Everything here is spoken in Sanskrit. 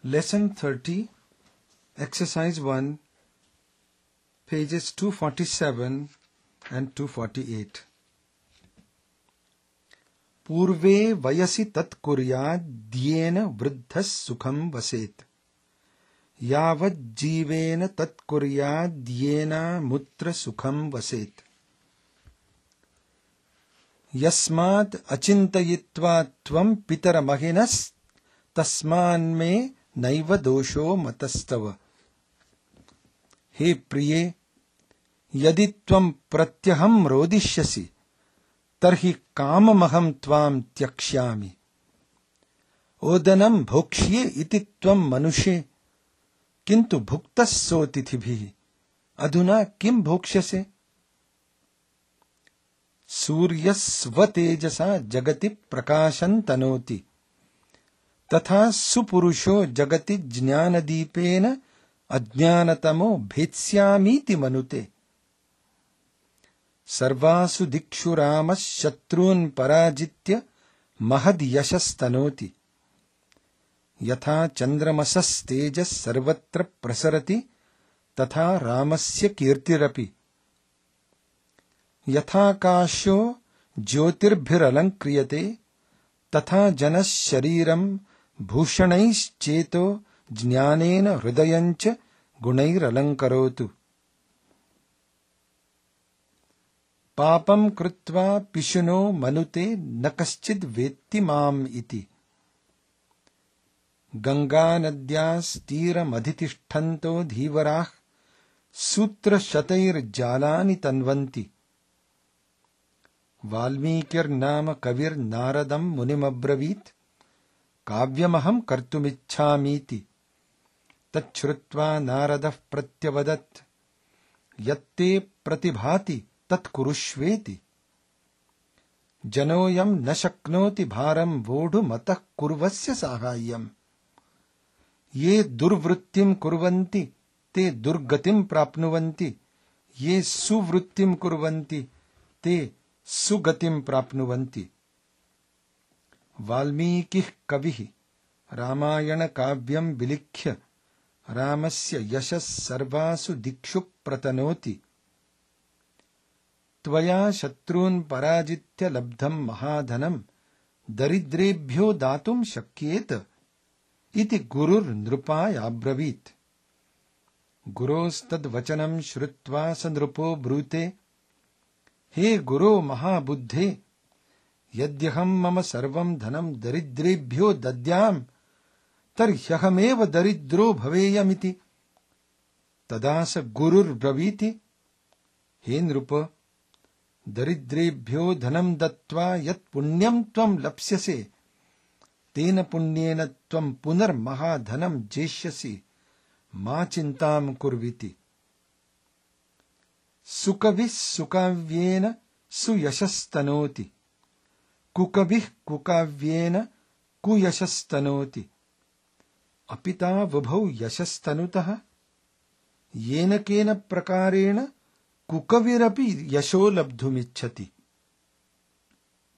Lesson 30, Exercise 1, pages 247 and 248. पूर्वे वयसि तत् कुर्याद्येन वृद्धः सुखं वसेत् यावज्जीवेन तत् कुर्याद्येनामुत्र सुखं वसेत् यस्मात् अचिन्तयित्वा त्वं पितरमहिनस्तस्मान्मे नैव दोषो मतस्तव। हे प्रिये, यदि त्वं प्रत्यहं रोदिष्यसि तर्हि काममहं त्वां त्यक्ष्यामि। ओदनं भोक्ष्ये इति त्वं मनुषे, किन्तु भुक्तः सोऽतिथिभिः। अधुना किं भोक्ष्यसे? सूर्यः स्वतेजसा जगति प्रकाशं तनोति, तथा सुपुरुषो जगति ज्ञानदीपेन अज्ञानतमो भेत्स्यामीति मनुते। सर्वासु दिक्षु रामः शत्रून् पराजित्य महद्यशस्तनोति। यथा चन्द्रमसस्तेजः सर्वत्र प्रसरति तथा रामस्य कीर्तिरपि। यथाकाशो ज्योतिर्भिरलङ्क्रियते तथा जनः शरीरं भूषणैश्चेतो ज्ञानेन हृदयञ्च गुणैरलङ्करोतु। पापं कृत्वा पिशुनो मनुते न कश्चिद् वेत्ति माम् इति। गङ्गानद्यास्तीरमधितिष्ठन्तो धीवराः सूत्रशतैर्जालानि तन्वन्ति। वाल्मीकिर्नाम कविर्नारदं मुनिमब्रवीत् काव्यमहं कर्तुमिच्छामीति। तच्छ्रुत्वा नारदः प्रत्यवदत् यत्ते प्रतिभाति तत्कुरुष्वेति। जनोऽयं न शक्नोति भारं वोढुमतः कुर्वस्य साहाय्यम्। ये दुर्वृत्तिं कुर्वन्ति ते दुर्गतिं प्राप्नुवन्ति, ये सुवृत्तिं कुर्वन्ति ते सुगतिं प्राप्नुवन्ति। वाल्मीकिः कविः रामायणकाव्यं विलिख्य रामस्य यशः सर्वासु दिक्षु प्रतनोति। त्वया शत्रून् पराजित्य लब्धं महाधनं दरिद्रेभ्यो दातुं शक्येत इति गुरुर्नृपायाब्रवीत्। गुरोस्तद्वचनं श्रुत्वा स नृपो ब्रूते, हे गुरो महाबुद्धे, यद्यहं मम सर्वं धनं दरिद्रेभ्यो दद्याम् तर्ह्यहमेव दरिद्रो भवेयमिति। तदा स गुरुर्ब्रवीति, हे नृप, दरिद्रेभ्यो धनं दत्त्वा यत् पुण्यं त्वं लप्स्यसे तेन पुण्येन त्वं पुनर्महाधनं जेष्यसि, मा चिन्तां कुर्विति। सुकविः सुकाव्येन सुयशस्तनोति, कुकविः कुकाव्येन कुयशस्तनोति। अपिता वुभौ यशस्तनुतः येन केन प्रकारेण कुकविरपि यशो लब्धुमिच्छति।